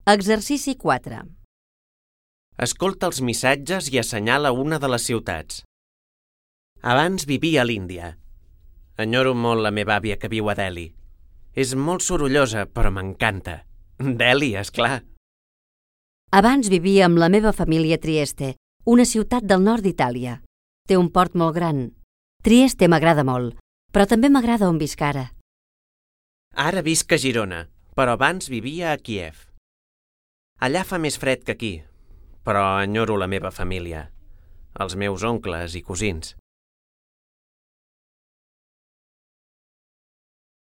Exercici 4. Escolta els missatges i assenyala una de les ciutats. Abans vivia a l'Índia. Enyoro molt la meva àvia que viu a Delhi. És molt sorollosa, però m'encanta. Delhi, és clar. Abans vivia amb la meva família a Trieste, una ciutat del nord d'Itàlia. Té un port molt gran. Trieste m'agrada molt, però també m'agrada on visc ara. Ara visc a Girona, però abans vivia a Kíev. Allà fa més fred que aquí, però enyoro la meva família, els meus oncles i cosins.